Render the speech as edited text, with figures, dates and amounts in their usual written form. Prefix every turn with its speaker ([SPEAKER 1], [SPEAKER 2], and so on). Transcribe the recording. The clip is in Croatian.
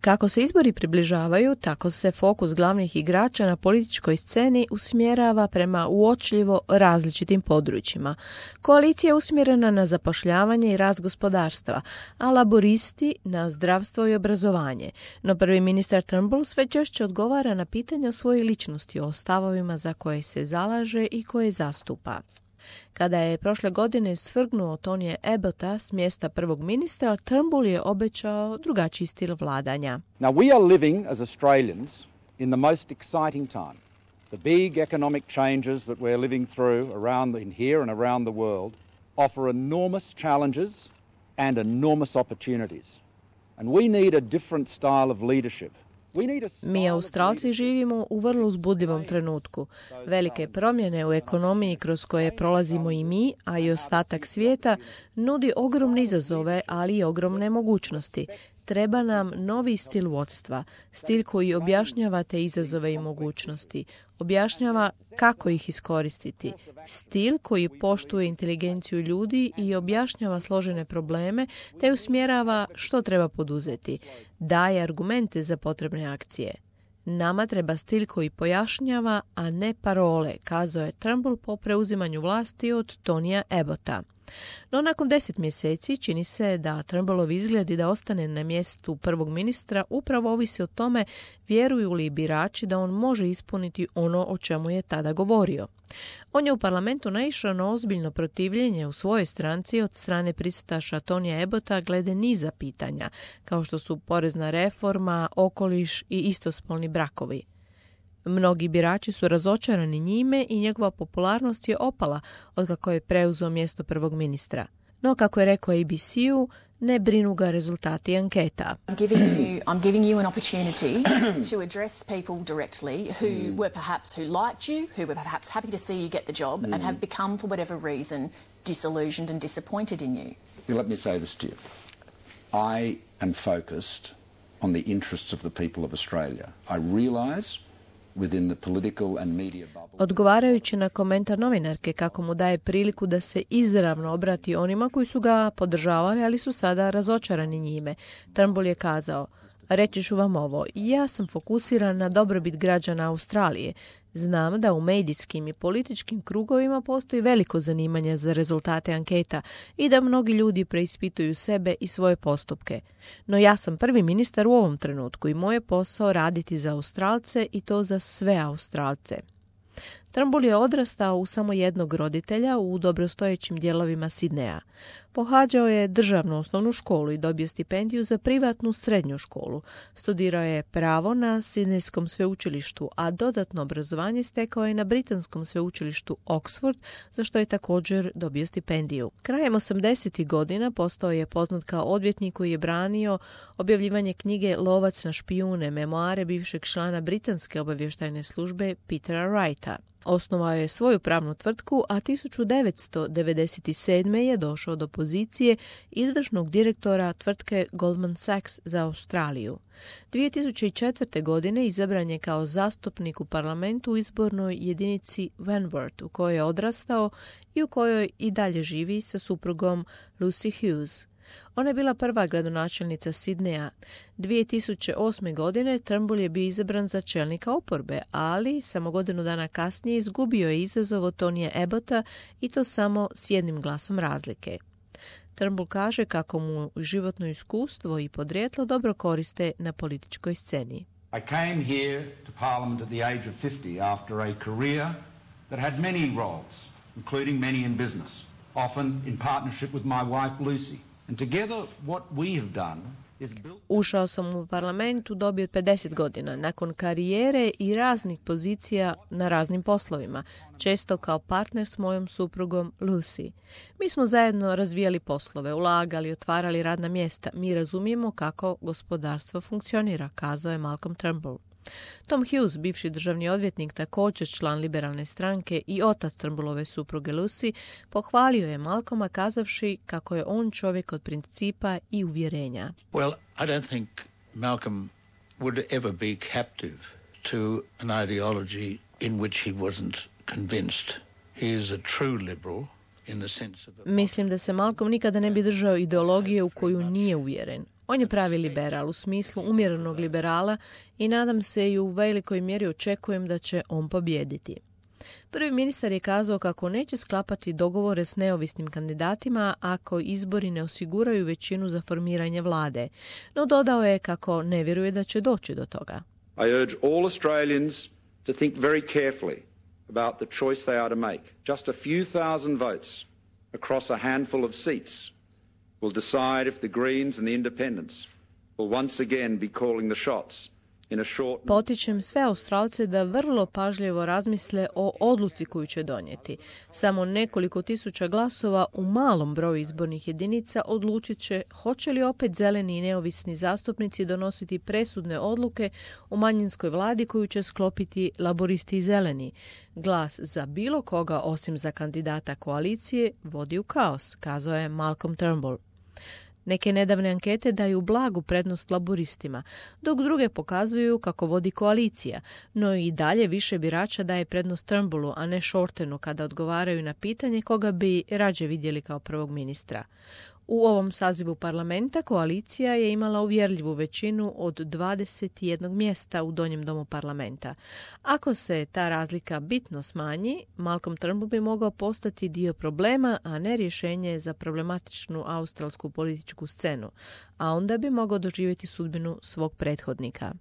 [SPEAKER 1] Kako se izbori približavaju, tako se fokus glavnih igrača na političkoj sceni usmjerava prema uočljivo različitim područjima. Koalicija je usmjerena na zapošljavanje i rast gospodarstva, a laboristi na zdravstvo i obrazovanje. No prvi ministar Turnbull sve češće odgovara na pitanja o svojoj ličnosti, o stavovima za koje se zalaže i koje zastupa. Kada je prošle godine svrgnuo Tonija Abbotta s mjesta prvog ministra, Turnbull je obećao drugačiji stil vladanja.
[SPEAKER 2] Now we are living as Australians in the most exciting time. The big economic changes that we're living through in here and around the world offer enormous challenges and enormous opportunities. And we need a different style of leadership.
[SPEAKER 1] Mi Australci živimo u vrlo uzbudljivom trenutku. Velike promjene u ekonomiji kroz koje prolazimo i mi, a i ostatak svijeta, nudi ogromne izazove, ali i ogromne mogućnosti. Treba nam novi stil vodstva, stil koji objašnjava te izazove i mogućnosti, objašnjava kako ih iskoristiti, stil koji poštuje inteligenciju ljudi i objašnjava složene probleme te usmjerava što treba poduzeti, daje argumente za potrebne akcije. Nama treba stil koji pojašnjava, a ne parole, kazao je Turnbull po preuzimanju vlasti od Tonija Abbotta. No nakon 10 mjeseci čini se da Turnbullov izgledi da ostane na mjestu prvog ministra upravo ovisi o tome vjeruju li birači da on može ispuniti ono o čemu je tada govorio. On je u parlamentu naišao na ozbiljno protivljenje u svojoj stranci od strane pristaša Tonija Abbotta glede niza pitanja, kao što su porezna reforma, okoliš i istospolni brakovi. Mnogi birači su razočarani njime i njegova popularnost je opala otkako je preuzeo mjesto prvog ministra. No, kako je rekao ABC-u, ne brinu ga rezultati anketa.
[SPEAKER 3] I'm giving you an opportunity to address people directly who liked you, who were perhaps happy to see you get the job and have become, for whatever reason, disillusioned and disappointed in you.
[SPEAKER 4] Let me say this to you. I am focused on the interests of the people of Australia. I realise within the political and media bubble.
[SPEAKER 1] Odgovarajući na komentar novinarke kako mu daje priliku da se izravno obrati onima koji su ga podržavali, ali su sada razočarani njime, Turnbull je kazao: reći ću vam ovo, ja sam fokusiran na dobrobit građana Australije. Znam da u medijskim i političkim krugovima postoji veliko zanimanje za rezultate anketa i da mnogi ljudi preispituju sebe i svoje postupke. No ja sam prvi ministar u ovom trenutku i moj je posao raditi za Australce i to za sve Australce. Turnbull je odrastao u samo jednog roditelja u dobrostojećim dijelovima Sidneja. Pohađao je državnu osnovnu školu i dobio stipendiju za privatnu srednju školu. Studirao je pravo na Sidnejskom sveučilištu, a dodatno obrazovanje stekao je na britanskom sveučilištu Oxford, za što je također dobio stipendiju. Krajem 80. godina postao je poznat kao odvjetnik koji je branio objavljivanje knjige Lovac na špijune, memoare bivšeg člana britanske obavještajne službe Petera Wrighta. Osnovao je svoju pravnu tvrtku, a 1997. je došao do pozicije izvršnog direktora tvrtke Goldman Sachs za Australiju. 2004. godine izabran je kao zastupnik u parlamentu u izbornoj jedinici Wentworth, u kojoj je odrastao i u kojoj i dalje živi sa suprugom Lucy Hughes. Ona je bila prva gradonačelnica Sidneja. 2008. godine Turnbull je bio izabran za čelnika oporbe, ali samo godinu dana kasnije izgubio je izazov od Tonija Abbotta i to samo s jednim glasom razlike. Turnbull kaže kako mu životno iskustvo i podrijetlo dobro koriste na političkoj sceni.
[SPEAKER 5] I came here to Parliament at the age of 50 after a career that had many roles, including many in business, often in partnership with my wife Lucy.
[SPEAKER 1] Ušao sam u parlament u dobi od 50 godina, nakon karijere i raznih pozicija na raznim poslovima, često kao partner s mojom suprugom Lucy. Mi smo zajedno razvijali poslove, ulagali, otvarali radna mjesta. Mi razumijemo kako gospodarstvo funkcionira, kazao je Malcolm Turnbull. Tom Hughes, bivši državni odvjetnik, također član liberalne stranke i otac Turnbullove supruge Lucy, pohvalio je Malcolma kazavši kako je on čovjek od principa i uvjerenja.
[SPEAKER 6] Well, I don't think Malcolm would ever be captive to an ideology in which he wasn't convinced. He is a true liberal. Mislim
[SPEAKER 1] da se Malcolm nikada ne bi držao ideologije u koju nije uvjeren. On je pravi liberal u smislu umjerenog liberala i nadam se i u velikoj mjeri očekujem da će on pobijediti. Prvi ministar je kazao kako neće sklapati dogovore s neovisnim kandidatima ako izbori ne osiguraju većinu za formiranje vlade, no dodao je kako ne vjeruje da će doći do toga.
[SPEAKER 5] I urge all Australians to think very carefully about the choice they are to make. Just a few thousand votes across a handful of seats will decide if the Greens and the Independents will once again be calling the shots.
[SPEAKER 1] Potičem sve Australce da vrlo pažljivo razmisle o odluci koju će donijeti. Samo nekoliko tisuća glasova u malom broju izbornih jedinica odlučit će hoće li opet zeleni i neovisni zastupnici donositi presudne odluke u manjinskoj vladi koju će sklopiti laboristi i zeleni. Glas za bilo koga osim za kandidata koalicije vodi u kaos, kazao je Malcolm Turnbull. Neke nedavne ankete daju blagu prednost laboristima, dok druge pokazuju kako vodi koalicija, no i dalje više birača daje prednost Turnbullu, a ne Shortenu kada odgovaraju na pitanje koga bi rađe vidjeli kao prvog ministra. U ovom sazivu parlamenta koalicija je imala uvjerljivu većinu od 21 mjesta u donjem domu parlamenta. Ako se ta razlika bitno smanji, Malcolm Turnbull bi mogao postati dio problema, a ne rješenje za problematičnu australsku političku scenu, a onda bi mogao doživjeti sudbinu svog prethodnika.